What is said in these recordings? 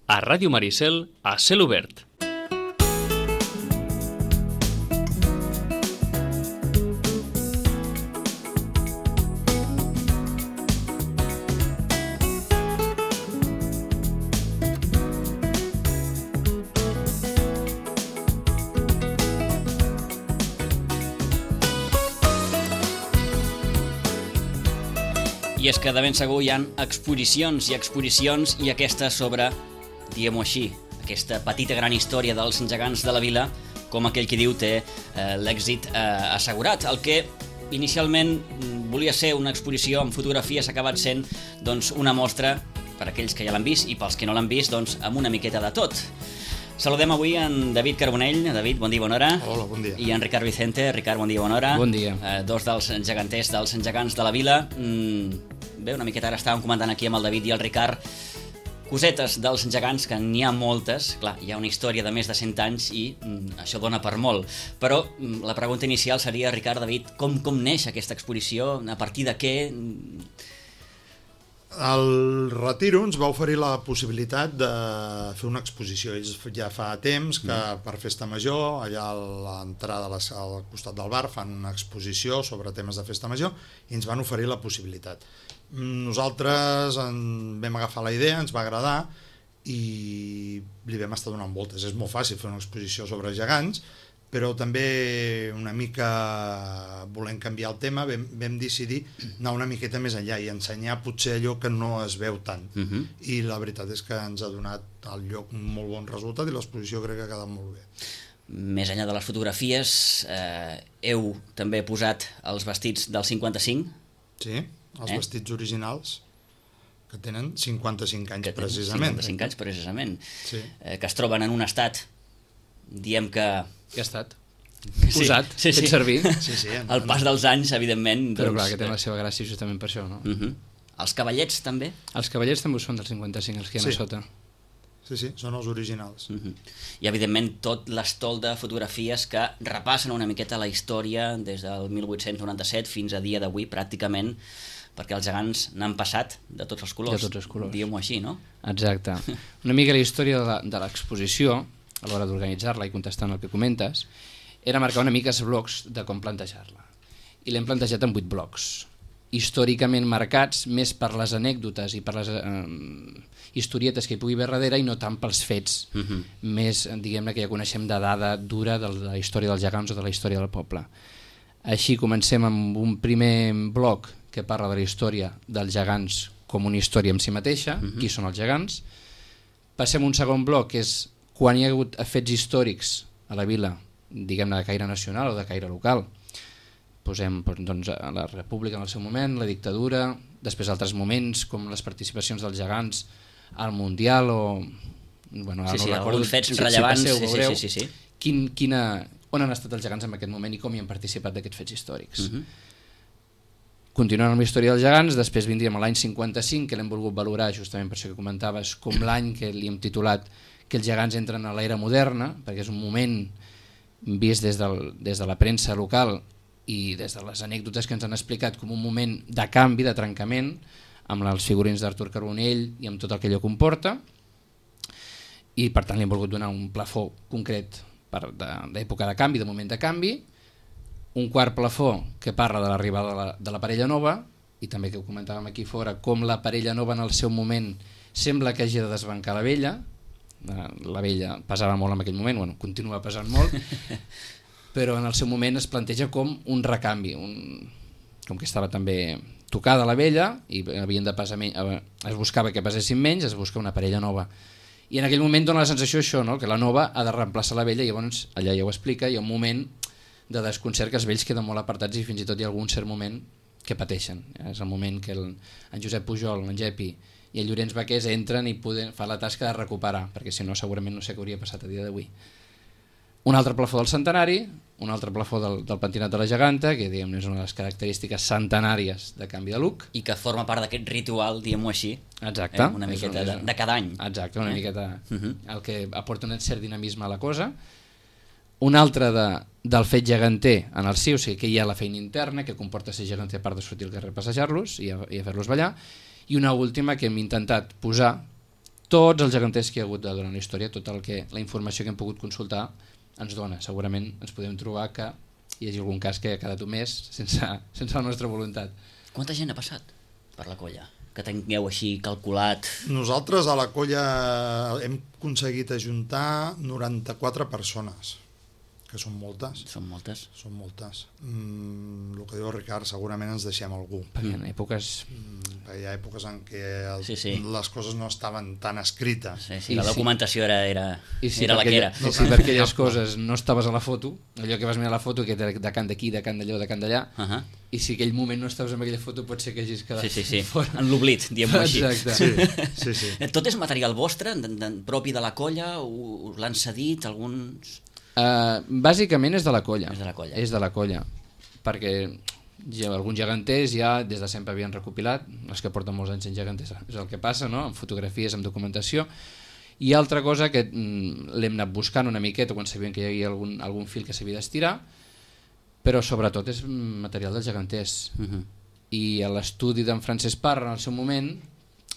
A Ràdio Maricel, a cel obert. I és que de ben segur hi ha exposicions i aquesta sobre, diguem-ho així, aquesta petita gran història dels gegants de la vila, com aquell qui diu té l'èxit assegurat. El que inicialment volia ser una exposició amb fotografies ha acabat sent doncs, una mostra per a aquells que ja l'han vist i pels que no l'han vist doncs, amb una miqueta de tot. Saludem avui en David Carbonell. David, bon dia, bona hora. Hola, bon dia. I en Ricard Vicente. Ricard, bon dia, bona hora. Bon dia. Dos dels geganters, dels gegants de la vila. Bé, una miqueta ara estàvem comentant aquí amb el David i el Ricard cosetes dels gegants, que n'hi ha moltes. Clar, hi ha una història de més de 100 anys i això dona per molt. Però la pregunta inicial seria, Ricard, David, com neix aquesta exposició? A partir de què? El Retiro ens va oferir la possibilitat de fer una exposició. Ells ja fa temps que per Festa Major, allà a l'entrada al costat del bar, fan una exposició sobre temes de Festa Major i ens van oferir la possibilitat. Nosaltres vam agafar la idea, ens va agradar i li vam estar donant voltes. És molt fàcil fer una exposició sobre gegants, però també una mica volent canviar el tema vam decidir anar una miqueta més enllà i ensenyar potser allò que no es veu tant. I la veritat és que ens ha donat al lloc un molt bon resultat i l'exposició crec que ha quedat molt bé. Més enllà de les fotografies, heu també posat els vestits del 55? Sí, els vestits originals que tenen 55 anys precisament. 55 anys precisament. Sí. Que es troben en un estat, diem que... Que ha estat posat, fet servir. Sí, el pas dels anys, evidentment... Però clar, que té la seva gràcia justament per això, no? Els cavallets també? Els cavallets també ho són del 55, els que hi ha a sota. Sí, són els originals. I evidentment tot l'estol de fotografies que repassen una miqueta la història des del 1897 fins a dia d'avui pràcticament, perquè els gegants n'han passat de tots els colors. De tots els colors. Diguem-ho així, no? Exacte. Una mica la història de l'exposició, a l'hora d'organitzar-la i contestant el que comentes, era marcar una mica els blocs de com plantejar-la. I l'hem plantejat en 8 blocs, històricament marcats més per les anècdotes i per les historietes que hi pugui haver darrere i no tant pels fets més, diguem-ne, que ja coneixem de dada dura de la història dels gegants o de la història del poble. Així comencem amb un primer bloc que parla de la història dels gegants com una història en si mateixa, qui són els gegants. Passem a un segon bloc que és quan hi ha hagut fets històrics a la vila, diguem-ne de caire nacional o de caire local. Posem doncs, la república en el seu moment, la dictadura, després altres moments com les participacions dels gegants al Mundial o... Bueno, sí, alguns fets rellevants. Sí. On han estat els gegants en aquest moment i com hi han participat d'aquests fets històrics. Continuant amb la història dels gegants, després vindríem a l'any 55, que l'hem volgut valorar justament per això que comentaves, com l'any que li hem titulat que els gegants entren a l'era moderna, perquè és un moment vist des de la premsa local i des de les anècdotes que ens han explicat com un moment de canvi, de trencament, amb els figurins d'Artur Carbonell i amb tot el que allò comporta, i per tant li hem volgut donar un plafó concret d'època de canvi, de moment de canvi, un quart plafó que parla de l'arribada de la parella nova, i també que ho comentàvem aquí fora, com la parella nova en el seu moment sembla que hagi de desbancar la vella pesava molt en aquell moment, bueno, continua pesant molt, però en el seu moment es planteja com un recanvi, com que estava també tocada la vella i havien de pesar menys, es buscava que pesessin menys, es busca una parella nova. I en aquell moment dona la sensació això, no? Que la nova ha de reemplaçar la vella i llavors allà ja ho explica, hi ha un moment de desconcert que els vells queden molt apartats i fins i tot hi ha algun cert moment que pateixen. És el moment que en Josep Pujol, en Gepi i el Llorenç Baqués entren i fan la tasca de recuperar, perquè si no segurament no sé què hauria passat a dia d'avui. Un altre plafó del centenari, un altre plafó del pentinat de la geganta, que diguem és una de les característiques centenàries de canvi de look. I que forma part d'aquest ritual, diguem-ho així. Exacte. Una miqueta de cada any. Exacte, una miqueta el que aporta un cert dinamisme a la cosa. Un altre del fet geganter en el si, o sigui que hi ha la feina interna que comporta ser geganter a part de sortir al carrer a passejar-los i a fer-los ballar. I una última que hem intentat posar tots els geganters que hi ha hagut durant la història, tota la informació que hem pogut consultar ens dona. Segurament ens podem trobar que hi hagi algun cas que ha quedat omès sense la nostra voluntat. Quanta gent ha passat per la colla? Que tingueu així calculat? Nosaltres a la colla hem aconseguit ajuntar 94 persones, que són moltes. Són moltes. Són moltes. El que diu el Ricard, segurament ens deixem algú. Perquè en èpoques... Hi ha èpoques en què les coses no estaven tan escrites. Sí, la documentació era la que era. I si per aquelles coses no estaves a la foto, allò que vas mirar la foto, que era de cant d'aquí, de cant d'allò, de cant d'allà, i si aquell moment no estaves en aquella foto pot ser que hagis quedat fora. En l'oblit, diguem-ho així. Exacte. Sí. Tot és material vostre, propi de la colla? Us l'han cedit alguns...? Bàsicament és de la colla. És de la colla. Perquè alguns geganters ja des de sempre havien recopilat, els que porten molts anys en geganters és el que passa, no? Amb fotografies, amb documentació, i altra cosa que l'hem anat buscant una miqueta quan sabíem que hi havia algun fil que s'havia d'estirar, però sobretot és material dels geganters. I l'estudi d'en Francesc Parra en el seu moment,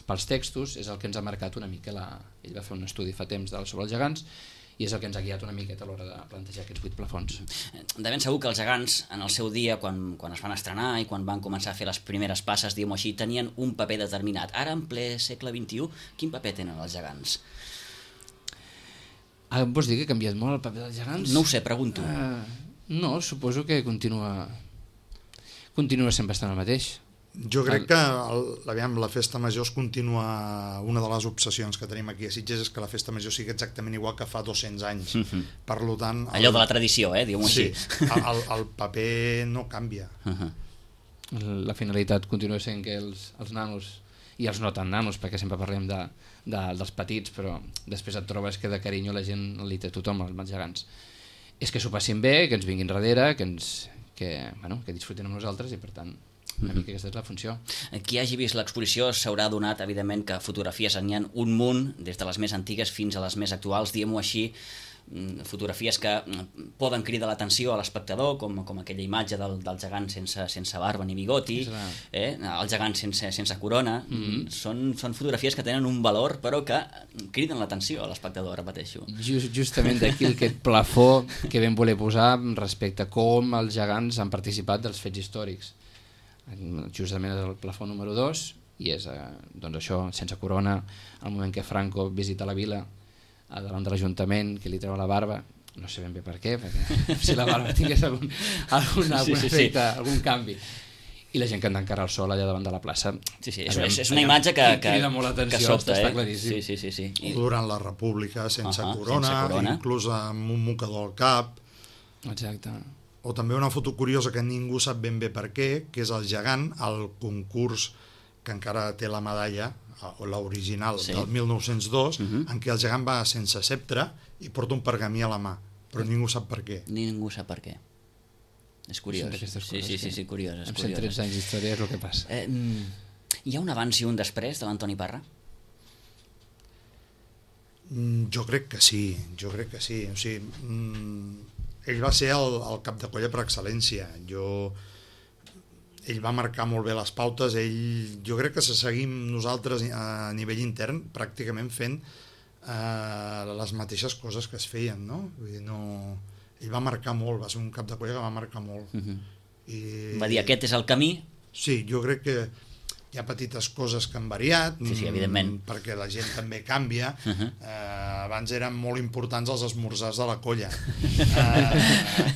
pels textos, és el que ens ha marcat una mica. Ell va fer un estudi fa temps sobre els gegants, i és el que ens ha guiat una miqueta a l'hora de plantejar aquests 8 plafons. De ben segur que els gegants, en el seu dia, quan es van estrenar i quan van començar a fer les primeres passes, diguem-ho així, tenien un paper determinat. Ara, en ple segle XXI, quin paper tenen els gegants? Vols dir que ha canviat molt el paper dels gegants? No ho sé, pregunto. No, suposo que continua sent bastant el mateix. Jo crec que la festa major es continua. Una de les obsessions que tenim aquí a Sitges és que la festa major sigui exactament igual que fa 200 anys. Per tant, allò de la tradició, diguem-ho així. Sí, el paper no canvia. La finalitat continua sent que els nanos, i els no tan nanos, perquè sempre parlem dels petits, però després et trobes que de carinyo la gent li té tothom, els gegants. És que s'ho passin bé, que ens vinguin darrere, que disfrutin amb nosaltres, i per tant una mica aquesta és la funció. Qui hagi vist l'exposició s'haurà donat, evidentment, que fotografies n'hi ha un munt, des de les més antigues fins a les més actuals, diguem-ho així, fotografies que poden cridar l'atenció a l'espectador, com aquella imatge del gegant sense barba ni bigoti, el gegant sense corona. Són fotografies que tenen un valor, però que criden l'atenció a l'espectador, repeteixo. Justament d'aquí aquest plafó que vam voler posar respecte a com els gegants han participat dels fets històrics. Justament és el plafó número 2 i és això, sense corona, al moment que Franco visita la vila davant de l'Ajuntament, que li treu la barba, no sé ben bé per què, perquè si la barba tingués algun efecte, algun canvi, i la gent que anda encara al sol allà davant de la plaça. És una imatge que crida molt l'atenció, està claríssim. Sí. Durant la República, sense corona, inclús amb un mocador al cap. Exacte. O també una foto curiosa que ningú sap ben bé per què, que és el gegant al concurs que encara té la medalla, o l'original del 1902, en què el gegant va sense sceptre i porta un pergamí a la mà, però ningú sap per què. Ningú sap per què. És curiós. Sí, curiós. Amb 113 anys d'història és el que passa. Hi ha un abans i un després de l'Antoni Parra? Jo crec que sí. O sigui, ell va ser el cap de colla per excel·lència. Ell va marcar molt bé les pautes. Jo crec que se seguim nosaltres a nivell intern pràcticament fent les mateixes coses que es feien, no? Vull dir, ell va marcar molt, va ser un cap de colla que va marcar molt. Va dir, aquest és el camí? Sí, jo crec que hi ha petites coses que han variat, evidentment, perquè la gent també canvia. Abans eren molt importants els esmorzars de la colla,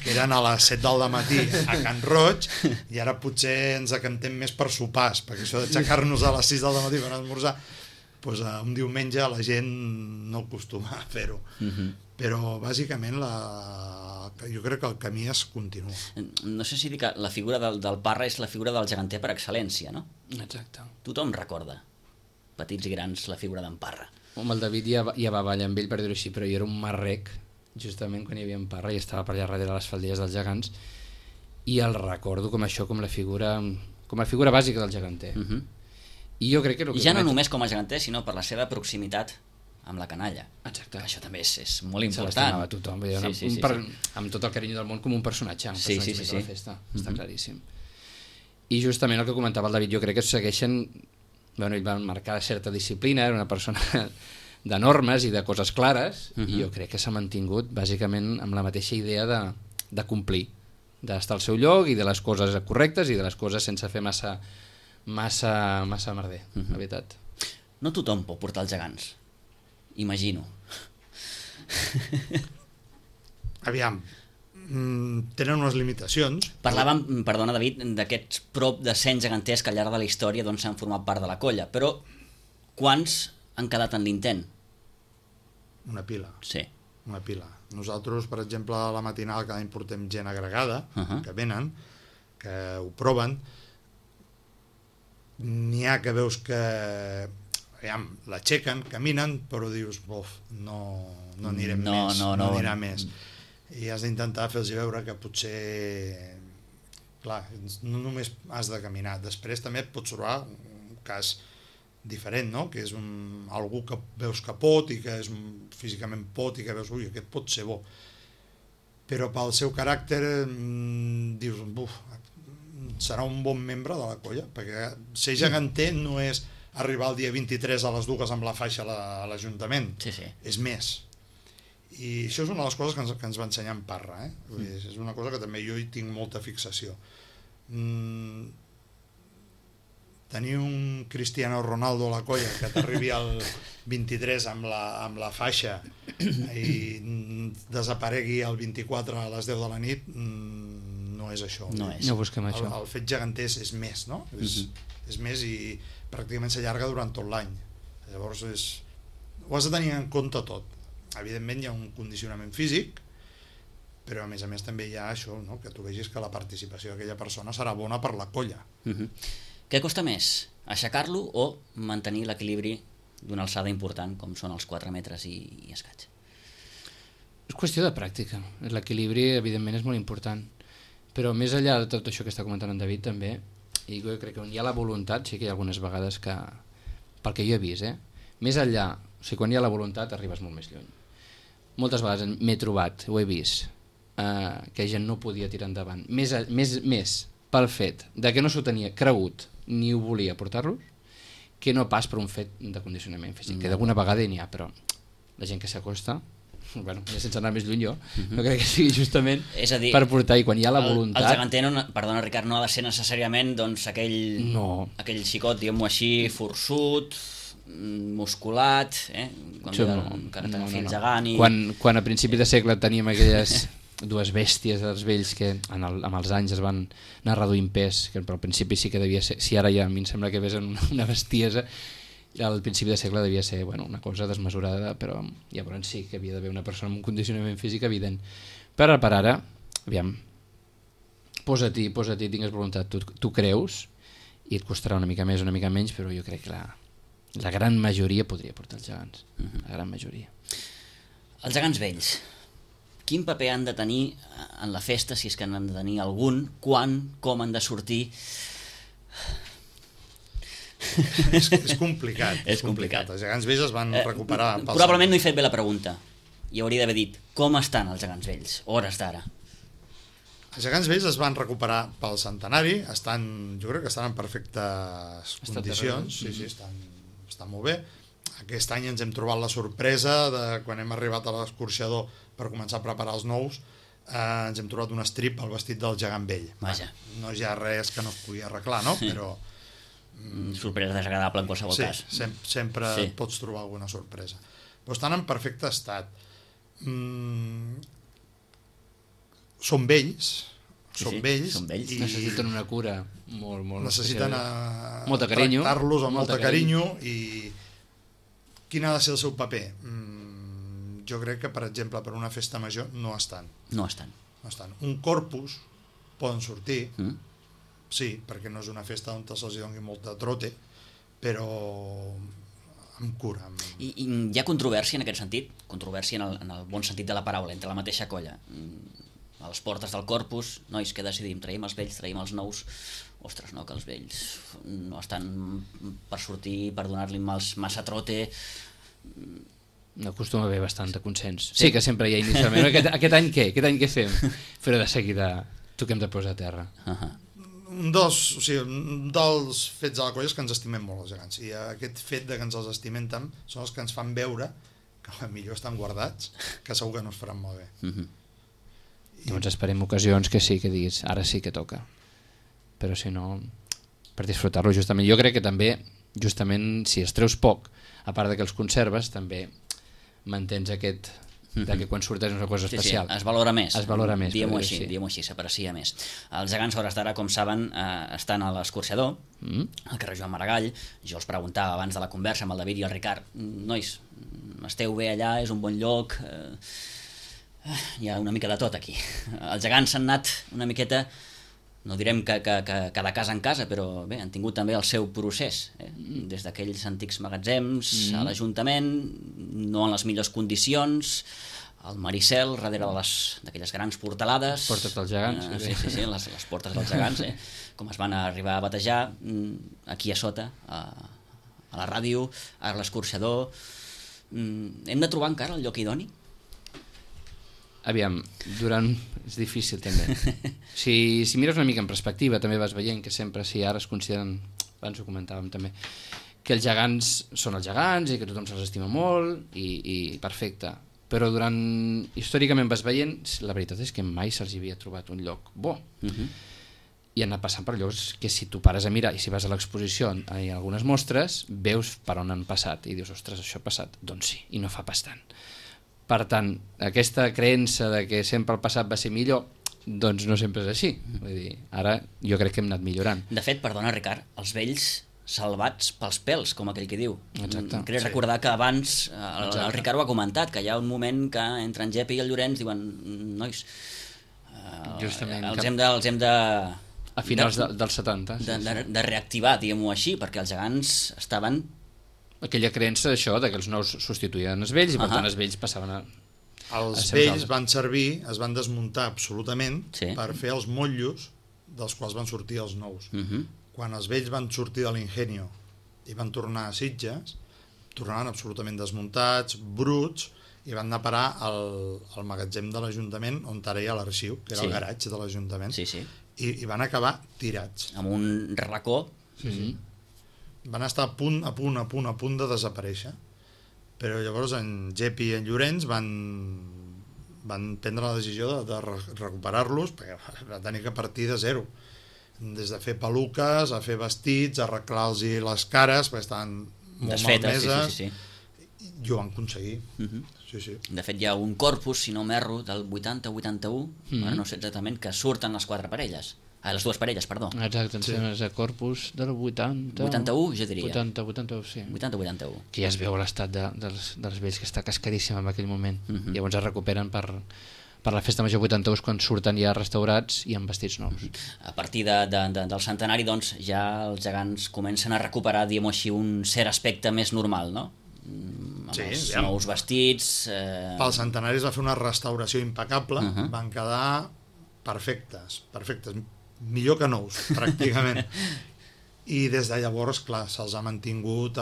que eren a les 7 del matí a Can Roig, i ara potser ens acantem més per sopars, perquè això d'aixecar-nos a les 6 del matí per esmorzar, doncs un diumenge la gent no acostuma a fer-ho. Però bàsicament jo crec que el camí es continua. No sé si dir que la figura del Parra és la figura del geganter per excel·lència, no? Exacte. Tothom recorda, petits i grans, la figura d'en Parra. El David ja va ballar amb ell, per dir-ho així, però jo era un marrec, justament quan hi havia en Parra, i estava per allà darrere les faldilles dels gegants, i el recordo com la figura bàsica del geganter. I jo crec que ja no només com a geganter, sinó per la seva proximitat amb la canalla. Exacte. Això també és molt important. Se l'estimava tothom, amb tot el carinyo del món, com un personatge, de la festa, està claríssim. I justament el que comentava el David, jo crec que segueixen... Ell va marcar certa disciplina, era una persona de normes i de coses clares, i jo crec que s'ha mantingut bàsicament amb la mateixa idea de complir, d'estar al seu lloc i de les coses correctes i de les coses sense fer massa merder, la veritat. No tothom pot portar els gegants, imagino. Aviam, tenen unes limitacions. Parlàvem, perdona David, d'aquests prop de 100 geganters que al llarg de la història doncs, han format part de la colla, però quants han quedat en l'intent? Una pila. Sí. Una pila. Nosaltres, per exemple, a la matinal cada any portem gent agregada, que venen, que ho proven. N'hi ha que veus que l'aixequen, caminen, però dius, no anirem més, no anirà més. I has d'intentar fer-los veure que potser, clar, no només has de caminar, després també et pots trobar un cas diferent, no? Que és algú que veus que pot i que és físicament pot i que veus, aquest pot ser bo, però pel seu caràcter dius, serà un bon membre de la colla, perquè ser geganter no és arribar el dia 23 a les 2 amb la faixa a l'Ajuntament, és més. I això és una de les coses que ens va ensenyar en Parra, és una cosa que també jo hi tinc molta fixació. Tenir un Cristiano Ronaldo a la colla que t'arribi al 23 amb la faixa i desaparegui el 24 a les 10 de la nit, no és això. No busquem això. El fet geganter és més, no? És més i pràcticament s'allarga durant tot l'any. Llavors ho has de tenir en compte tot. Evidentment hi ha un condicionament físic, però a més també hi ha això, no? Que tu vegis que la participació d'aquella persona serà bona per la colla. Què costa més, aixecar-lo o mantenir l'equilibri d'una alçada important com són els 4 metres i escaig? És qüestió de pràctica. L'equilibri evidentment és molt important, però més enllà de tot això que està comentant en David també, i jo crec que on hi ha la voluntat, sí que hi ha algunes vegades que, pel que jo he vist, més enllà, o sigui, quan hi ha la voluntat arribes molt més lluny. Moltes vegades m'he trobat, ho he vist, que gent no podia tirar endavant, més pel fet de que no s'ho tenia cregut ni ho volia portar-los, que no pas per un fet de condicionament físic, que d'alguna vegada n'hi ha, però la gent que s'acosta, bueno, sense anar més lluny jo, no crec que sigui justament per portar, i quan hi ha la voluntat... El geganter, perdona Ricard, no ha de ser necessàriament doncs, aquell xicot, diguem-ho així, forçut, musculat, gegant i... Quan a principi de segle teníem aquelles dues bèsties dels vells que amb els anys es van anar reduint pes, que al principi sí que devia ser, si ara ja a mi em sembla que ves una bestiesa, al principi de segle devia ser una cosa desmesurada, però llavors sí que havia d'haver una persona amb un condicionament físic evident. Però per ara, aviam, posa-t'hi, tingues voluntat, tu creus, i et costarà una mica més, una mica menys, però jo crec que la gran majoria podria portar els gegants, la gran majoria. Els gegants vells, quin paper han de tenir en la festa, si és que n'han de tenir algun, quan, com han de sortir? És complicat. Els gegants vells es van recuperar... Probablement no he fet bé la pregunta, i hauria d'haver dit, com estan els gegants vells, hores d'ara? Els gegants vells es van recuperar pel centenari, jo crec que estan en perfectes condicions, sí, estan molt bé. Aquest any ens hem trobat la sorpresa de quan hem arribat a l'escorxador per començar a preparar els nous, ens hem trobat un estrip al vestit del gegant vell. Vaja. No hi ha res que no es pugui arreglar, no? Però... sorpresa desagradable en qualsevol cas. Sempre pots trobar alguna sorpresa. Però estan en perfecte estat. Són vells i necessiten una cura molt necessiten molta carinyo, tractar-los amb molta carinyo. I quin ha de ser el seu paper? Jo crec que, per exemple, per una festa major no estan. Un corpus poden sortir, sí, perquè no és una festa on se'ls doni molta trote, però amb cura. I hi ha controvèrsia en aquest sentit? Controvèrsia en el bon sentit de la paraula, entre la mateixa colla. A les portes del corpus, nois, què decidim? Traiem els vells, traiem els nous? Ostres, no, que els vells no estan per sortir, per donar-li massa trote. No acostuma a haver bastant de consens. Sí que sempre hi ha inicialment, aquest any què? Aquest any què fem? Però de seguida toquem de posar a terra. un dels fets de la colla és que ens estimem molt els gegants, i aquest fet de que ens els estimem tant són els que ens fan veure que millor estan guardats, que segur que no es faran molt bé. Llavors esperem ocasions que sí, que diguis ara sí que toca, però si no, per disfrutar-lo justament. Jo crec que també, justament, si els treus poc, a part de que els conserves, també mantens aquest de que quan surtes és una cosa especial. Sí, es valora més. Es valora més. Diguem-ho així, s'aprecia més. Els gegants, a hores d'ara, com saben, estan a l'Escorxador, al carrer Joan Maragall. Jo els preguntava abans de la conversa amb el David i el Ricard, nois, esteu bé allà, és un bon lloc, hi ha una mica de tot aquí. Els gegants s'han anat una miqueta, no direm que de casa en casa, però bé, han tingut també el seu procés, des d'aquells antics magatzems a l'Ajuntament, no en les millors condicions, al Maricel, darrere d'aquelles grans portalades. Les portes dels gegants. Sí, les portes dels gegants, com es van arribar a batejar, aquí a sota, a la ràdio, a l'Escorxador. Hem de trobar encara el lloc idoni? Aviam, és difícil també. Si mires una mica en perspectiva també vas veient que sempre, si ara es consideren, abans ho comentàvem també, que els gegants són els gegants i que tothom se'ls estima molt i perfecte, però històricament vas veient, la veritat és que mai se'ls havia trobat un lloc bo, i han anat passant per llocs que si tu pares a mirar i si vas a l'exposició i a algunes mostres veus per on han passat i dius, ostres, això ha passat, doncs sí, i no fa pas tant. Per tant, aquesta creença de que sempre el passat va ser millor, doncs no sempre és així. Vull dir, ara jo crec que hem anat millorant. De fet, perdona, Ricard, els vells salvats pels pels, com aquell que diu. Exacte. Crec recordar que abans el Ricard ho ha comentat, que hi ha un moment que entre en Jepi i el Llorenç diuen, nois, els hem de a finals dels 70 de reactivar, diguem-ho així, perquè els gegants estaven... Aquella creença d'això, que els nous substituïen els vells i per tant els vells passaven a... Els vells van servir, es van desmuntar absolutament per fer els motllos dels quals van sortir els nous. Quan els vells van sortir de l'Ingenio i van tornar a Sitges, tornaven absolutament desmuntats, bruts, i van anar a parar al magatzem de l'Ajuntament on ara hi ha l'arxiu, que era el garatge de l'Ajuntament, i van acabar tirats. Amb un racó. Van estar a punt de desaparèixer, però llavors en Jepi i en Llorenç van prendre la decisió de recuperar-los, perquè va tenir que partir de zero, des de fer peluques, a fer vestits, a arreglar-los les cares, perquè estaven molt malmeses, i ho van aconseguir. De fet, hi ha un corpus, si no m'erro, del 80-81, ara no sé exactament, que surten les les dues parelles, perdó. Exacte, és el corpus del 80... 81, jo diria. 81, sí. 80-81. Que ja es veu l'estat dels vells, que està cascadíssim en aquell moment. Llavors es recuperen per la festa major 81 quan surten ja restaurats i amb vestits nous. A partir del centenari, doncs, ja els gegants comencen a recuperar, diguem-ho així, un cert aspecte més normal, no? Amb els nous vestits... Pel centenari es va fer una restauració impecable, van quedar perfectes, millor que nous, pràcticament. I des de llavors, clar, se'ls ha mantingut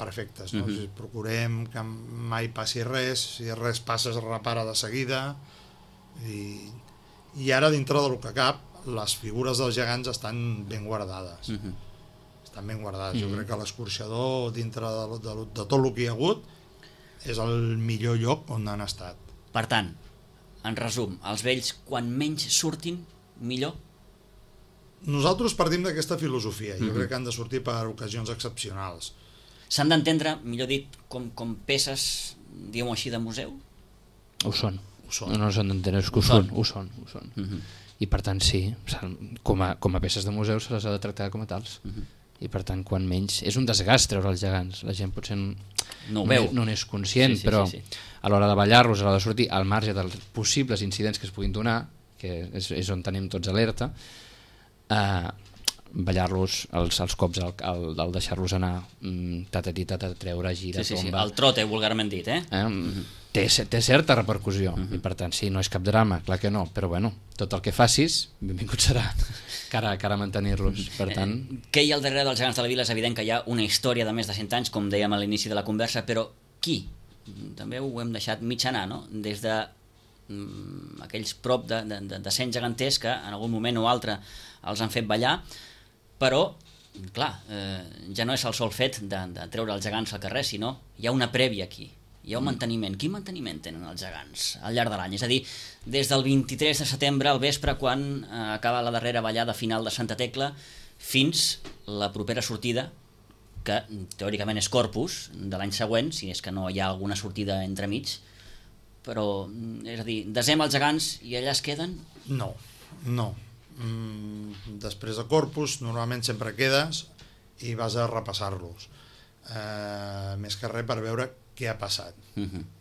perfectes, no? Procurem que mai passi res, si res passa es repara de seguida, i ara dintre del que cap les figures dels gegants estan ben guardades. Estan ben guardades. Jo crec que l'Escorxador, dintre de tot el que hi ha hagut, és el millor lloc on han estat. Per tant, en resum, els vells, quan menys surtin, millor? Nosaltres partim d'aquesta filosofia. Jo crec que han de sortir per ocasions excepcionals. S'han d'entendre, millor dit, com peces, diguem-ho així, de museu? Ho són. No s'han d'entendre, és que ho són. I per tant, sí, com a peces de museu se les ha de tractar com a tals. I per tant, quan menys... És un desgast treure els gegants. La gent potser no ho veu, no n'és conscient, però a l'hora de ballar-los, a l'hora de sortir, al marge dels possibles incidents que es puguin donar, que és on tenim tots alerta, ballar-los els cops, el deixar-los anar, tatatita, treure, gira, tomba... El trote, vulgarment dit, Té certa repercussió, i per tant, sí, no és cap drama, clar que no, però bueno, tot el que facis, benvingut serà cara a mantenir-los, per tant... Què hi ha al darrere dels gegants de la vila? És evident que hi ha una història de més de 100 anys, com dèiem a l'inici de la conversa, però qui? També ho hem deixat mig anar, no? Des de aquells prop de 100 geganters que en algun moment o altre els han fet ballar, però clar, ja no és el sol fet de treure els gegants al carrer, sinó hi ha una prèvia aquí, hi ha un manteniment. Quin manteniment tenen els gegants al llarg de l'any? És a dir, des del 23 de setembre al vespre, quan acaba la darrera ballada final de Santa Tecla, fins la propera sortida, que teòricament és Corpus, de l'any següent, si és que no hi ha alguna sortida entremig, però, és a dir, desem els gegants i allà es queden? No. Després de Corpus normalment sempre quedes i vas a repassar-los, més que res per veure què ha passat,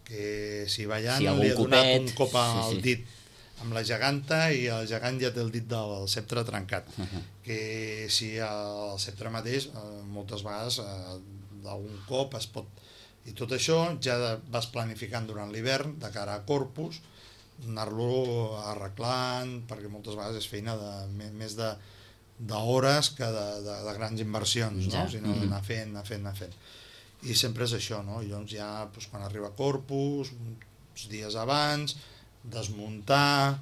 que si ballant li ha donat un cop al dit amb la geganta i el gegant ja té el dit del ceptre trencat, que si el ceptre mateix moltes vegades d'algun cop es pot, i tot això ja vas planificant durant l'hivern de cara a Corpus, anar-lo arreglant, perquè moltes vegades és feina més d'hores que de grans inversions, no? Sinó anar fent. I sempre és això, no? I llavors ja quan arriba Corpus, uns dies abans, desmuntar,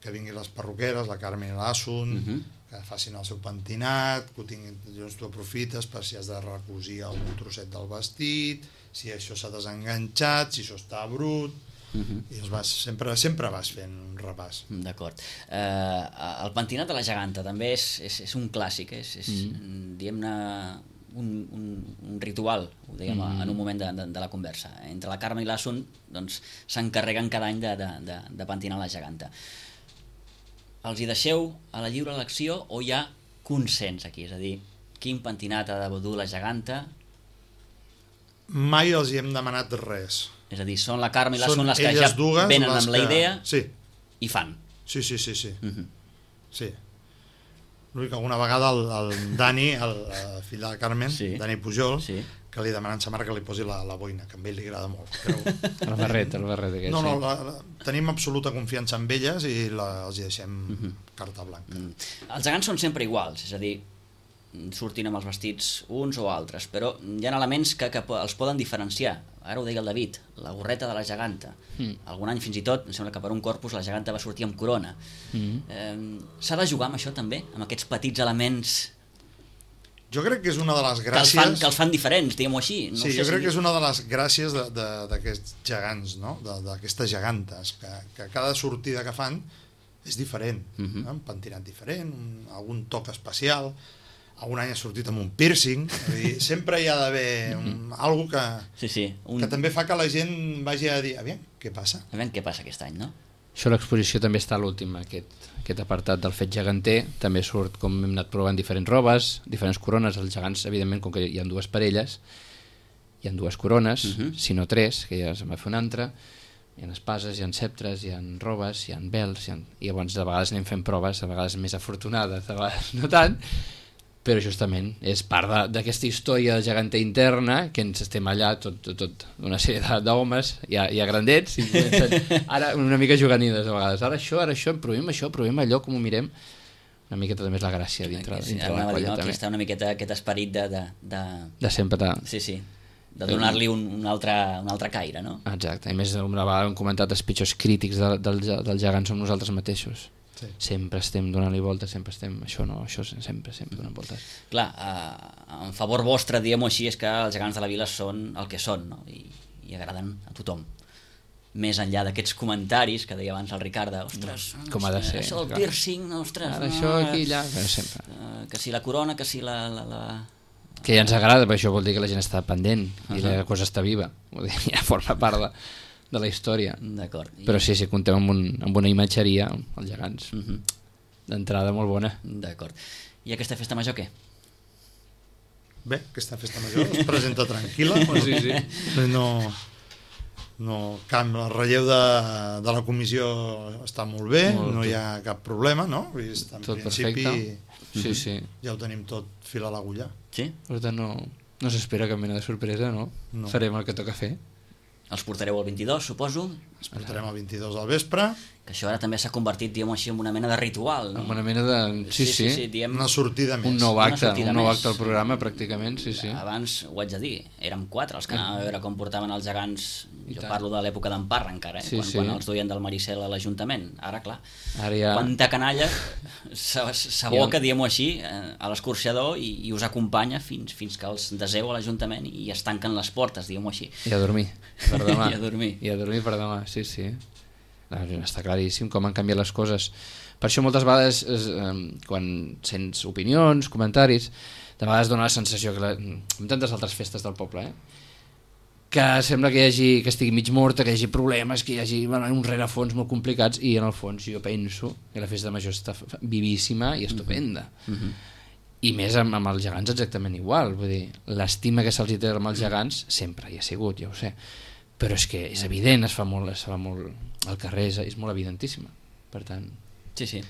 que vinguin les perruqueres, la Carmen i l'Assun, que facin el seu pentinat, que ho tinguin, llavors tu aprofites per si has de recosir algun trosset del vestit, si això s'ha desenganxat, si això està brut, i sempre vas fent un repàs. D'acord. El pentinat de la geganta també és un clàssic, és diguem-ne un ritual, ho dèiem en un moment de la conversa. Entre la Carme i l'Assun s'encarreguen cada any de pentinar la geganta. Els hi deixeu a la lliure elecció o hi ha consens aquí? És a dir, quin pentinat ha de dur la geganta? Mai els hi hem demanat res. És a dir, són la Carme i l'Assun les que ja venen amb la idea i fan. Sí. Sí. L'únic que alguna vegada el Dani, el fill de la Carmen, Dani Pujol, que li demanen sa mare que li posi la boina, que a ell li agrada molt. El barret aquest. No, tenim absoluta confiança en elles i els hi deixem carta blanca. Els gegants són sempre iguals, és a dir, surtin amb els vestits uns o altres, però hi ha elements que els poden diferenciar. Ara ho deia el David, la gorreta de la geganta. Algun any fins i tot, em sembla que per un Corpus la geganta va sortir amb corona. S'ha de jugar amb això també, amb aquests petits elements Jo crec que és una de les gràcies... Que els fan diferents, diguem-ho així. Sí, jo crec que és una de les gràcies d'aquests gegants, no? D'aquestes gegantes, que cada sortida que fan és diferent. Un pentinat diferent, algun toc especial, algun any ha sortit amb un piercing, sempre hi ha d'haver algo que també fa que la gent vagi a dir, aviam, què passa? Aviam què passa aquest any, no? Això l'exposició també està a l'últim, aquest apartat del fet geganter, també surt com hem anat provant diferents robes, diferents corones, els gegants, evidentment, com que hi ha dues parelles, hi ha dues corones, si no tres, que ja se'n va fer una altra, hi ha espases, hi ha ceptres, hi ha robes, hi ha vels, i llavors de vegades anem fent proves, a vegades més afortunades, a vegades no tant, però justament és part d'aquesta història de geganter interna, que ens estem allà tot una sèrie d'homes ja grandets, i ara una mica juganides a vegades, ara això, provem allò, com ho mirem, una miqueta també és la gràcia dintre de la colla. Aquí està una miqueta aquest esperit de sempre de donar-li un altre caire, no? Exacte, i més una vegada hem comentat els pitjors crítics del gegant som nosaltres mateixos. Sí. Sempre estem donant-li voltes, sempre estem... Això sempre donant voltes. Clar, en favor vostre, diguem-ho així, és que els gegants de la vila són el que són, no? I agraden a tothom. Més enllà d'aquests comentaris que deia abans el Ricard, ostres, com ha de ser, això del piercing, ostres... Ara això aquí, allà, sempre. Que si la corona, que si la... Que ja ens agrada, però això vol dir que la gent està pendent i la cosa està viva. Vol dir, ja forma part de la història. D'acord. Però sí, comptem amb una imatgeria, els gegants, d'entrada molt bona. D'acord. I aquesta festa major què? Bé, aquesta festa major es presenta tranquil·la. Sí. El relleu de la comissió està molt bé, no hi ha cap problema, no? En tot principi, perfecte. Sí. Ja ho tenim tot fil a l'agulla. Sí? Per tant, no s'espera cap mena de sorpresa, no? Farem el que toca fer. Els portareu el 22, suposo? ens portarem el 22 al vespre. Que això ara també s'ha convertit, diguem-ho així, en una mena de ritual, no? En una mena de... Sí. diem... Una sortida més. Un nou acte més. al programa, pràcticament, sí. Abans, ho haig de dir, érem 4 els que anàvem a veure com portaven els gegants. Jo parlo de l'època d'en Parra encara, quan els duien del Maricel a l'Ajuntament. Ara, clar, quanta canalla s'aboca, diguem-ho així, a l'escorxador i us acompanya fins que els deseu a l'Ajuntament i es tanquen les portes, diguem-ho així. I a dormir per demà. I a dormir per demà, sí. Està claríssim com han canviat les coses. Per això moltes vegades, quan sents opinions, comentaris, de vegades dona la sensació que, amb tantes altres festes del poble, que sembla que estigui mig morta, que hi hagi problemes, que hi hagi un rerefons molt complicats, i en el fons jo penso que la festa major està vivíssima i estupenda. I més amb els gegants exactament igual. Vull dir, l'estima que se'ls té amb els gegants sempre hi ha sigut, ja ho sé, però és que és evident, es fa molt al carrer, és molt evidentíssima, per tant... Sí.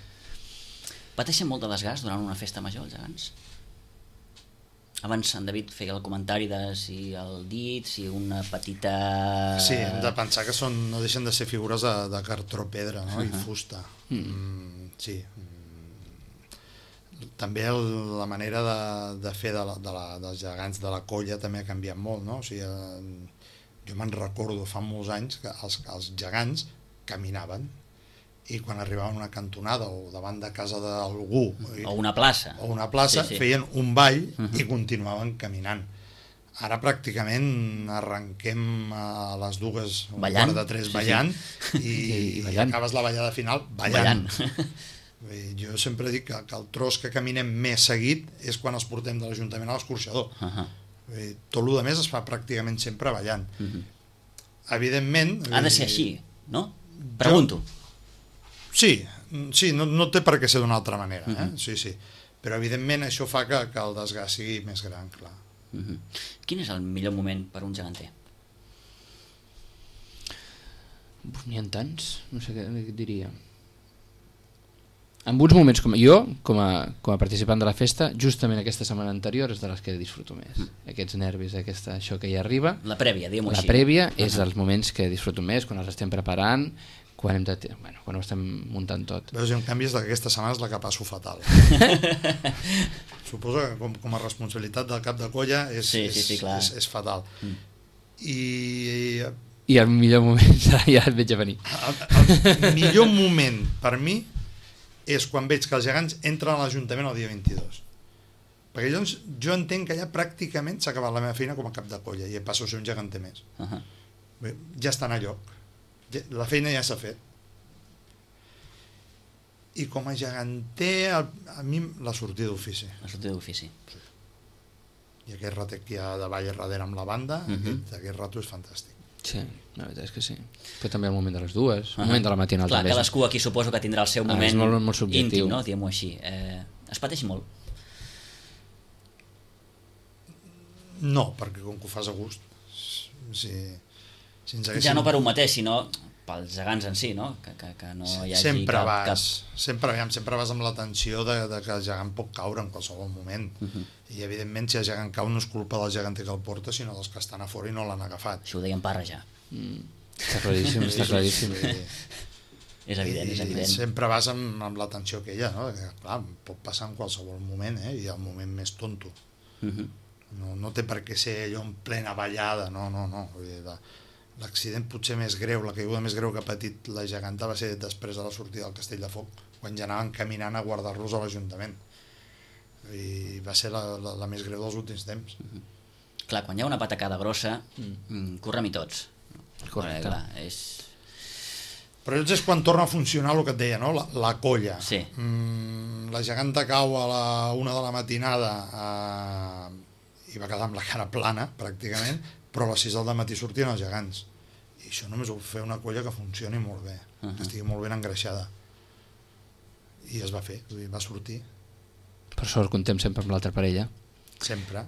Pateixen molt de desgast durant una festa major, els gegants? Abans en David feia el comentari de si el dit, si una petita... Sí, hem de pensar que no deixen de ser figures de cartró pedra, no? I fusta. Sí. També la manera de fer dels gegants de la colla també ha canviat molt, no? O sigui, jo me'n recordo fa molts anys que els gegants caminaven i quan arribaven a una cantonada o davant de casa d'algú o una plaça sí. Feien un ball i continuaven caminant. Ara pràcticament arrenquem a les 2:15 ballant i acabes la ballada final ballant. Jo sempre dic que el tros que caminem més seguit és quan els portem de l'Ajuntament a l'escorxador. Tot el més es fa pràcticament sempre ballant. Evidentment... Ha de ser així, no? Pregunto. Sí, no té per què ser d'una altra manera, sí. Però evidentment això fa que el desgast sigui més gran, clar. Quin és el millor moment per un geganter? N'hi ha tants, no sé què et diria. En uns moments com a participant de la festa, justament aquesta setmana anterior és de les que disfruto més. Aquests nervis, això que hi arriba. La prèvia, diguem-ho així. La prèvia és dels moments que disfruto més, quan els estem preparant, quan ho estem muntant tot. Veus, en canvi, és d'aquesta setmana és la que passo fatal. Suposo que com a responsabilitat del cap de colla és fatal. I el millor moment ja et veig a venir. El millor moment per mi és quan veig que els gegants entren a l'Ajuntament el dia 22. Perquè llavors jo entenc que ja pràcticament s'ha acabat la meva feina com a cap de colla i passo a ser un geganter més. Bé, ja estan a lloc. La feina ja s'ha fet. I com a geganter, a mi la sortida d'ofici. La sortida d'ofici. Sí. I aquest ratet que hi ha davall darrere amb la banda, aquest rato és fantàstic. Sí, la veritat és que sí. Però també el moment de les 2, el moment de la matinal. Clar, cadascú aquí suposo que tindrà el seu moment molt íntim, no? Diguem-ho així. Es pateix molt? No, perquè com que ho fas a gust, ja no per un mateix, sinó pels gegants en si, no? Que no hi hagi sempre vas amb la tensió de que el gegant pot caure en qualsevol moment. I evidentment si el gegant cau no és culpa del geganter que el porta, sinó dels que estan a fora i no l'han agafat. Això ho deia en Parra ja. Està claríssim. És evident. Sempre vas amb la tensió aquella, no? Clar, pot passar en qualsevol moment, i el moment més tonto. No té per què ser allò en plena ballada, no. L'accident potser més greu, la caiguda més greu que ha patit la geganta va ser després de la sortida del Castell de Foc, quan ja anaven caminant a guardar-los a l'Ajuntament. I va ser la més greu dels últims temps. Clar, quan hi ha una patacada grossa, correm-hi tots. Correcte. Però llavors és quan torna a funcionar el que et deia, no? La colla. Sí. La geganta cau a la 1 de la matinada i va quedar amb la cara plana, pràcticament, però a les 6 del matí sortien els gegants. I això només ho fer una colla que funcioni molt bé, que estigui molt ben engreixada. I es va fer, va sortir. Per sort contem sempre amb l'altra parella. Sempre.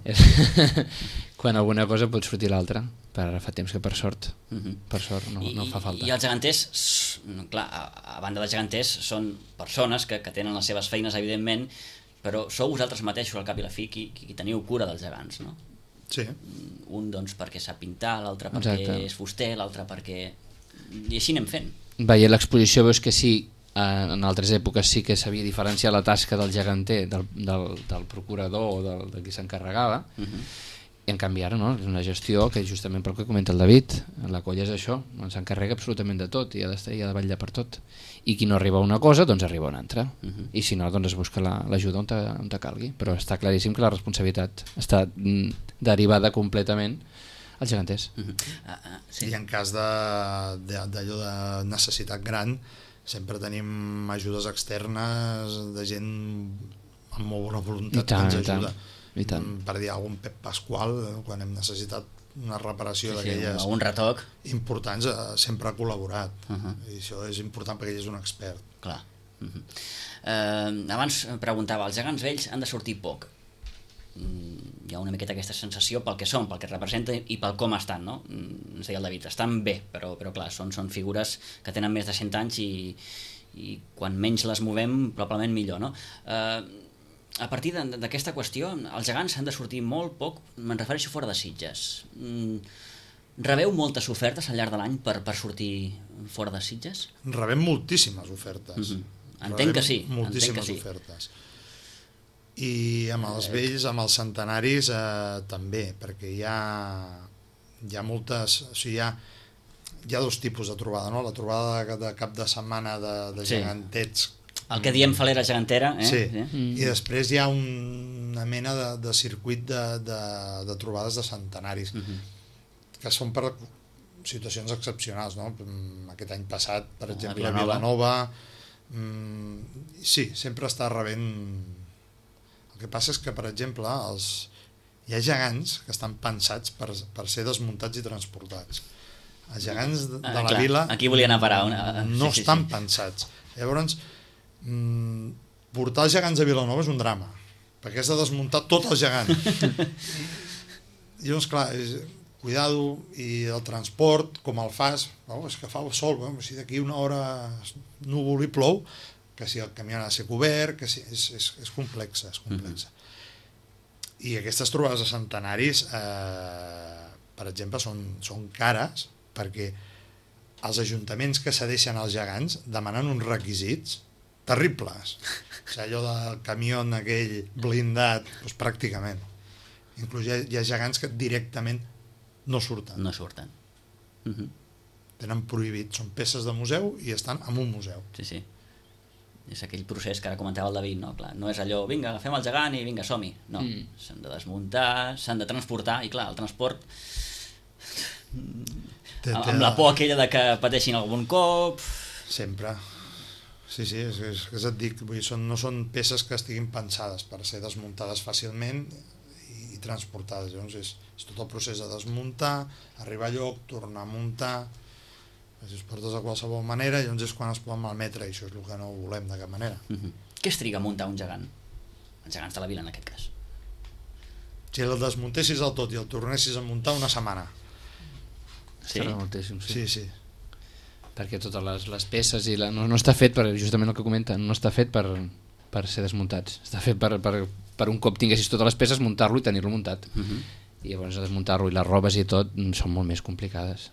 Quan alguna cosa pot sortir l'altra, però ara fa temps que per sort no fa falta. I els geganters, clar, a banda de geganters, són persones que tenen les seves feines, evidentment, però sou vosaltres mateixos, al cap i la fi, qui teniu cura dels gegants, no? Sí. Un, doncs, perquè sap pintar, l'altre perquè és fuster, l'altre perquè I així anem fent. Veient l'exposició veus que sí, en altres èpoques sí que s'havia diferenciat la tasca del geganter, del procurador o de qui s'encarregava, i en canvi ara no, és una gestió que justament pel que comenta el David, la colla és això, s'encarrega absolutament de tot i ha d'estar i ha de vetllar per tot, i qui no arriba a una cosa doncs arriba a una altra, i si no doncs es busca l'ajuda on te calgui, però està claríssim que la responsabilitat està derivada completament als geganters. Sí. I en cas d'allò de necessitat gran sempre tenim ajudes externes de gent amb molt bona voluntat que ens ajuda. I tant. Per dir algun Pep Pasqual, quan hem necessitat una reparació d'aquelles un retoc importants, sempre ha col·laborat, i això és important perquè ell és un expert. clar. Abans preguntava, els gegants vells han de sortir poc. Hi ha una miqueta aquesta sensació pel que són, pel que representen i pel com estan, no? Ens deia el David, estan bé, però clar, són figures que tenen més de 100 anys i quan menys les movem probablement millor, no? A partir d'aquesta qüestió, els gegants han de sortir molt poc, me'n refereixo fora de Sitges. Rebeu moltes ofertes al llarg de l'any per sortir fora de Sitges? Rebem moltíssimes ofertes. Entenc que sí. Moltíssimes ofertes. I amb els vells, amb els centenaris, també, perquè hi ha moltes... O sigui, hi ha dos tipus de trobada, no? La trobada de cap de setmana de gegantets. El que diem falera gegantera. Sí, i després hi ha una mena de circuit de trobades de centenaris, que són per situacions excepcionals, no? Aquest any passat, per exemple, a Vilanova, sí, sempre està rebent... El que passa és que, per exemple, hi ha gegants que estan pensats per ser desmuntats i transportats. Els gegants de la vila aquí volia anar a parar. No estan pensats. Llavors, portar els gegants a Vilanova és un drama, perquè has de desmuntar tot el gegant. Llavors, clar, cuidado, i el transport, com el fas, és que fa sol, si d'aquí una hora núvol i plou, que si el camió ha de ser cobert, que si, és complexa, és complexa. I aquestes trobades de centenaris, per exemple, són cares, perquè els ajuntaments que cedeixen als gegants demanen uns requisits terribles. O sigui, allò del camió aquell blindat, doncs pràcticament. Inclús hi ha gegants que directament no surten. No surten. Tenen prohibit, són peces de museu i estan en un museu. Sí, sí. És aquell procés que ara comentava el David, no? Clar, no és allò, vinga, agafem el gegant i vinga, som-hi. No, s'han de desmuntar, s'han de transportar, i clar, el transport... amb la por aquella de que pateixin algun cop... Sempre. Sí, és que et dic, vull dir, no són peces que estiguin pensades per ser desmuntades fàcilment i transportades. Llavors és tot el procés de desmuntar, arribar a lloc, tornar a muntar... Si es portes de qualsevol manera, llavors és quan es poden malmetre, i això és el que no volem de cap manera. Què es triga a muntar un gegant? Els gegants de la vila, en aquest cas. Si el desmuntessis del tot i el tornessis a muntar, una setmana. Sí? Moltíssim, Sí. Perquè totes les peces i no està fet per, justament el que comenta, no està fet per ser desmuntats, està fet per un cop tinguessis totes les peces, muntar-lo i tenir-lo muntat. I llavors desmuntar-lo i les robes i tot són molt més complicades.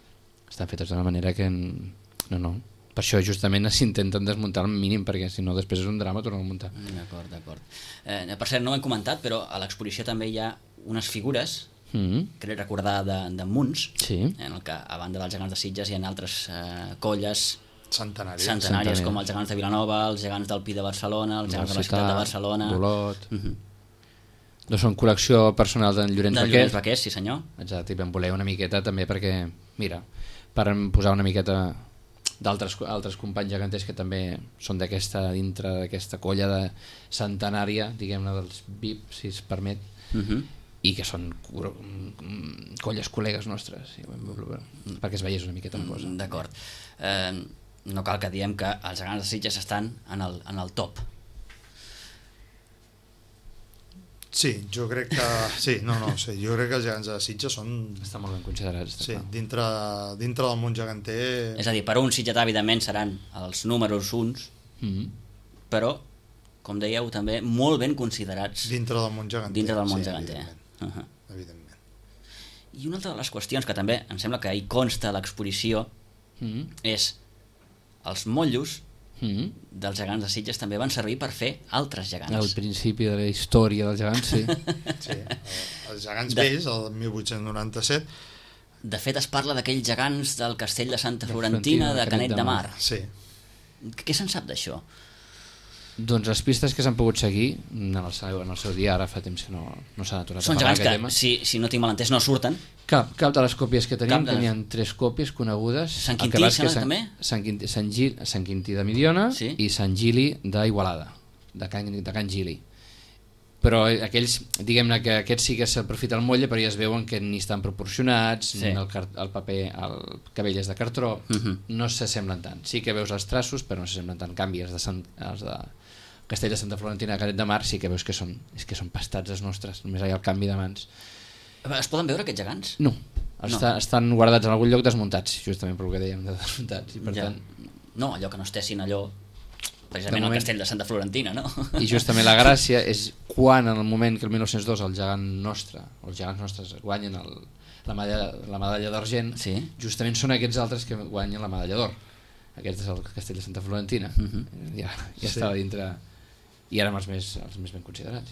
Estan fetes d'una manera que no. Per això justament s'intenten desmuntar al mínim, perquè si no després és un drama tornar a muntar. D'acord. Per cert, no ho hem comentat, però a l'exposició també hi ha unes figures, crec recordar de Munts, en el que a banda dels gegants de Sitges hi ha altres colles centenàries com els gegants de Vilanova, els gegants del Pi de Barcelona, els gegants de la ciutat de Barcelona, d'Olot. No són col·lecció personal d'en Llorenç Vaquers, sí senyor. Exacte, i vam voler una miqueta també perquè, mira, per posar una miqueta d'altres companys geganters que també són dintre d'aquesta colla de centenària, diguem-ne, dels VIP, si es permet, i que són colles col·legues nostres, perquè es veiés una miqueta la cosa. D'acord. No cal que diem que els gegants de Sitges estan en el top. Sí, jo crec que... jo crec que els gegants de Sitges estan molt ben considerats. Sí, dintre del món geganter... És a dir, per un sitgetà, evidentment, seran els números uns, però, com dèieu, també molt ben considerats dintre del món geganter. Evidentment. I una altra de les qüestions que també em sembla que hi consta a l'exposició, és els motllos dels gegants de Sitges també van servir per fer altres gegants. Al principi de la història dels gegants, sí. Sí, els gegants vells, el 1897. De fet, es parla d'aquells gegants del castell de Santa Florentina, de Canet de Mar. Sí. Què se'n sap d'això? Doncs les pistes que s'han pogut seguir en el seu dia, ara fa temps que no s'ha aturat Són a parlar gegants tema. si no tinc mal entès, no surten. Cap de les còpies que tenim, n'hi ha 3 còpies conegudes. Sant Quintí, sembla, també? Sant Quintí de Mediona i Sant Gili d'Igualada, de Can Gili. Però aquells, diguem-ne que aquests sí que s'aprofita el motlle, però ja es veuen que ni estan proporcionats, el paper, el cabell és de cartró, no s'assemblen tant. Sí que veus els traços, però no s'assemblen tant. En canvi, els de Castell de Santa Florentina de Canet de Mar sí que veus que són pastats els nostres, només hi ha el canvi de mans. Es poden veure aquests gegants? No, estan guardats en algun lloc desmuntats, justament per el que dèiem de desmuntats. I per tant... No, allò que no estessin allò precisament al castell de Santa Florentina, no? I justament la gràcia és quan en el moment que el 1902 el gegant nostre, els gegants nostres guanyen la medalla d'argent, justament són aquests altres que guanyen la medalla d'or. Aquest és el castell de Santa Florentina. Ja estava dintre i ara amb els més ben considerats.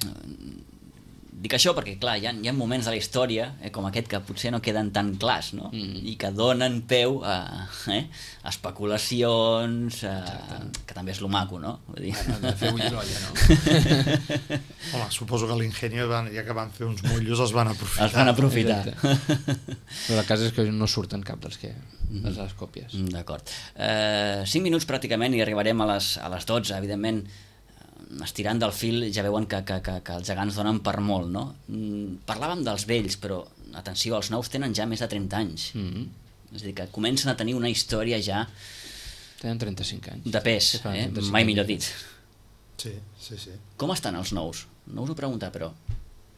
Dic això perquè, clar, hi ha moments de la història com aquest que potser no queden tan clars, no? I que donen peu a especulacions, que també és lo maco, no? Vull dir... De fer bullir l'olla, no? Home, suposo que l'Ingenio, ja que van fer uns motllos, els van aprofitar. Els van aprofitar. Però el cas és que no surten cap de les còpies. D'acord. 5 minuts pràcticament i arribarem a les 12, evidentment. Estirant del fil ja veuen que els gegants donen per molt, no? Parlàvem dels vells, però atenció, els nous tenen ja més de 30 anys. És a dir, que comencen a tenir una història ja... Tenen 35 anys. De pes, mai millor dit. Sí. Com estan els nous? No us ho preguntava, però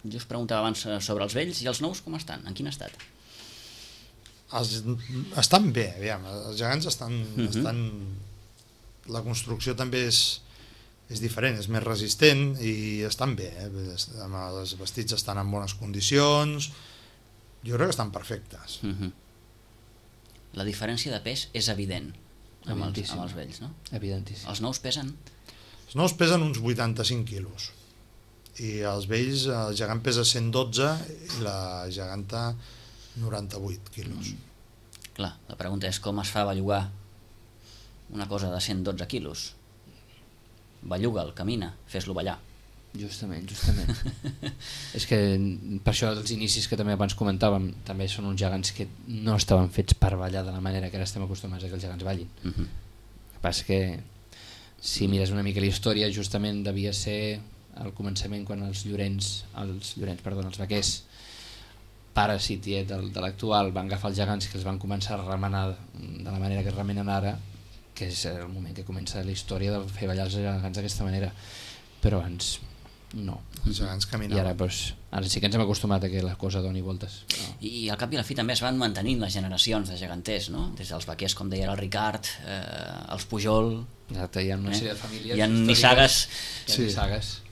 jo us preguntava abans sobre els vells i els nous com estan? En quin estat? Estan bé, aviam. Els gegants estan... La construcció també és diferent, és més resistent i estan bé, els vestits estan en bones condicions, jo crec que estan perfectes. La diferència de pes és evident amb els vells, no? Evidentíssim. Els nous pesen? Els nous pesen uns 85 quilos i els vells, el gegant pesa 112 i la geganta 98 quilos. Clar, la pregunta és com es fa bellugar una cosa de 112 quilos? Belluga'l, camina, fes-lo ballar. Justament. És que per això els inicis que també abans comentàvem també són uns gegants que no estaven fets per ballar de la manera que ara estem acostumats a que els gegants ballin. El que passa que si mires una mica la història, justament devia ser al començament quan els vaquers, pares i tiet de l'actual, van agafar els gegants que els van començar a remenar de la manera que es remenen ara, que és el moment que comença la història de fer ballar els gegants d'aquesta manera, però abans no. Els gegants caminaven. I ara sí que ens hem acostumat a que la cosa doni voltes. No. I al cap i a la fi també es van mantenint les generacions de geganters, no? Des dels vaquers, com deia el Ricard, els Pujol... Exacte, hi ha una sèrie de famílies... Hi ha nissagues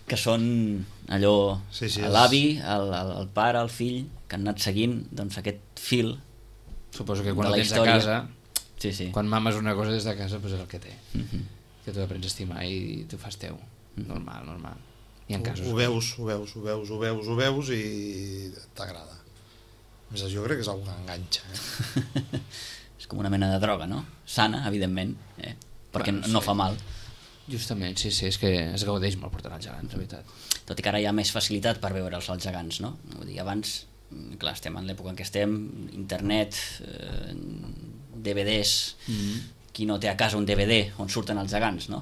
que són allò... L'avi, el pare, el fill, que han anat seguint aquest fil. Suposo que quan el tens a casa... Quan mames una cosa des de casa, doncs és el que té, que tu aprens a estimar i tu fas teu, normal. Ho veus i t'agrada. Jo crec que és una que enganxa. És com una mena de droga, no? Sana, evidentment, perquè no fa mal. Justament, sí, és que es gaudeix molt portant els gegants, la veritat. Tot i que ara hi ha més facilitat per veure'ls els gegants, no? Vull dir, abans, clar, estem en l'època en què estem, internet, DVDs, qui no té a casa un DVD on surten els gegants, no?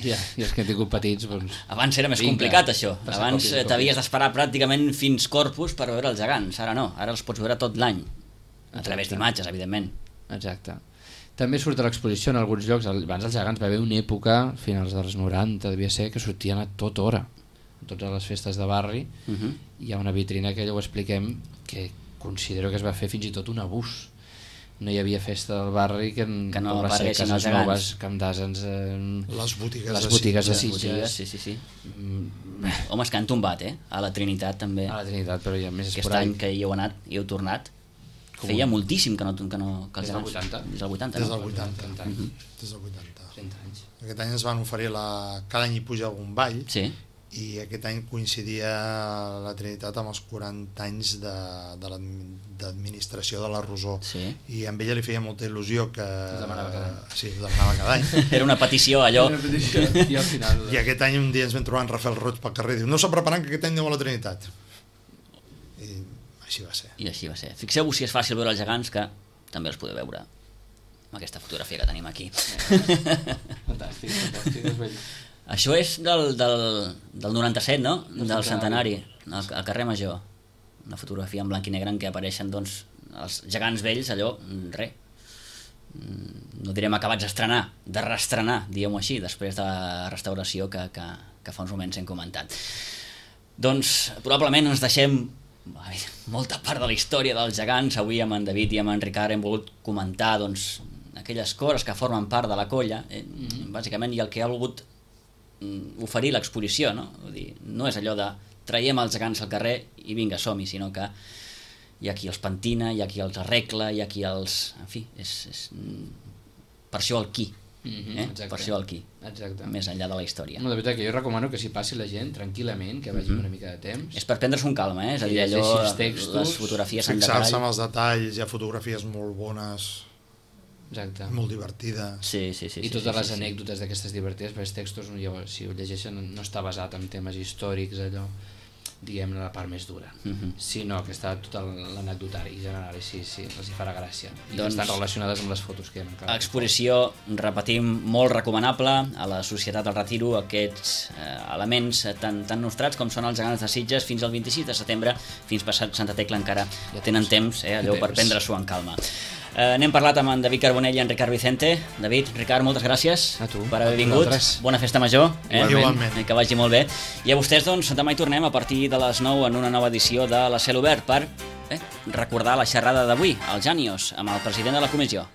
I els que han tingut petits, doncs... Abans era més complicat, això. Abans t'havies d'esperar pràcticament fins Corpus per veure els gegants. Ara no, ara els pots veure tot l'any. A través d'imatges, evidentment. Exacte. També surt a l'exposició en alguns llocs. Abans els gegants va haver una època, finals dels 90, devia ser, que sortien a tota hora. A totes les festes de barri. Hi ha una vitrina que ja ho expliquem, que considero que es va fer fins i tot un abús. No hi havia festa del barri que no apareguessin els gegants. Camp d'Asens, les botigues de Sitges. Sí. Home, és que han tombat, a la Trinitat també. A la Trinitat, però ja més aquest any que hi heu anat i heu tornat. feia moltíssim que els Des del gegants... 80. Des del 80, Des no? del 80. 30 anys. Des del 80. 30 anys. Aquest any ens van oferir cada any hi puja algun ball, Sí. i aquest any coincidia la Trinitat amb els 40 anys d'administració de la Rosó, Sí. i a ella li feia molta il·lusió que... Ho demanava cada any. Sí, ho demanava cada any. Era una petició, allò... I al final... I aquest any un dia ens vam trobar en Rafael Roig pel carrer i diu, no s'ha preparant que aquest any aneu a la Trinitat. I així va ser. I així va ser. Fixeu-vos si és fàcil veure els gegants, que també els podeu veure amb aquesta fotografia que tenim aquí. Fantàstic, és bell. Això és del 97, no? Del centenari, al carrer Major. Una fotografia en blanc i negre en què apareixen doncs, els gegants vells, allò, no direm acabats d'estrenar, de reestrenar, diguem-ho així, després de la restauració que fa uns moments hem comentat. Doncs probablement ens deixem molta part de la història dels gegants. Avui amb en David i amb en Ricard hem volgut comentar doncs, aquelles coses que formen part de la colla, bàsicament, i el que ha volgut oferir l'exposició, no? Vull dir, no és allò de traiem els gegants al carrer i vinga, som-hi, sinó que hi ha qui els pentina, hi ha qui els arregla, hi ha qui els... En fi, és per això el qui, per això el qui, Exacte. més enllà de la història. No, de veritat que jo recomano que s'hi passi la gent tranquil·lament, que vagi una mica de temps. És per prendre-s'ho amb calma, és a dir, Que allò, llegeixi els textos, les fotografies en Fixar-se detall. en els detalls, hi ha fotografies molt bones, Exacte. molt divertides. Sí. I totes les anècdotes d'aquestes divertides, perquè els textos, si ho llegeixen, no està basat en temes històrics, allò, diguem-ne, la part més dura, sinó que està tot l'anecdotari general, i sí, els hi farà gràcia. I Doncs, estan relacionades amb les fotos que hi ha. Exposició, repetim, molt recomanable a la Societat del Retiro, aquests elements tan nostrats com són els gegants de Sitges fins al 26 de setembre, fins passat Santa Tecla encara tenen temps, allò per prendre-s'ho en calma. N'hem parlat amb en David Carbonell i en Ricard Vicente. David, Ricard, moltes gràcies per haver vingut. Bona festa major. Igualment. Que vagi molt bé. I a vostès, doncs, demà hi tornem a partir de les 9 en una nova edició de La Cel Obert per recordar la xerrada d'avui, al Jànios, amb el president de la comissió.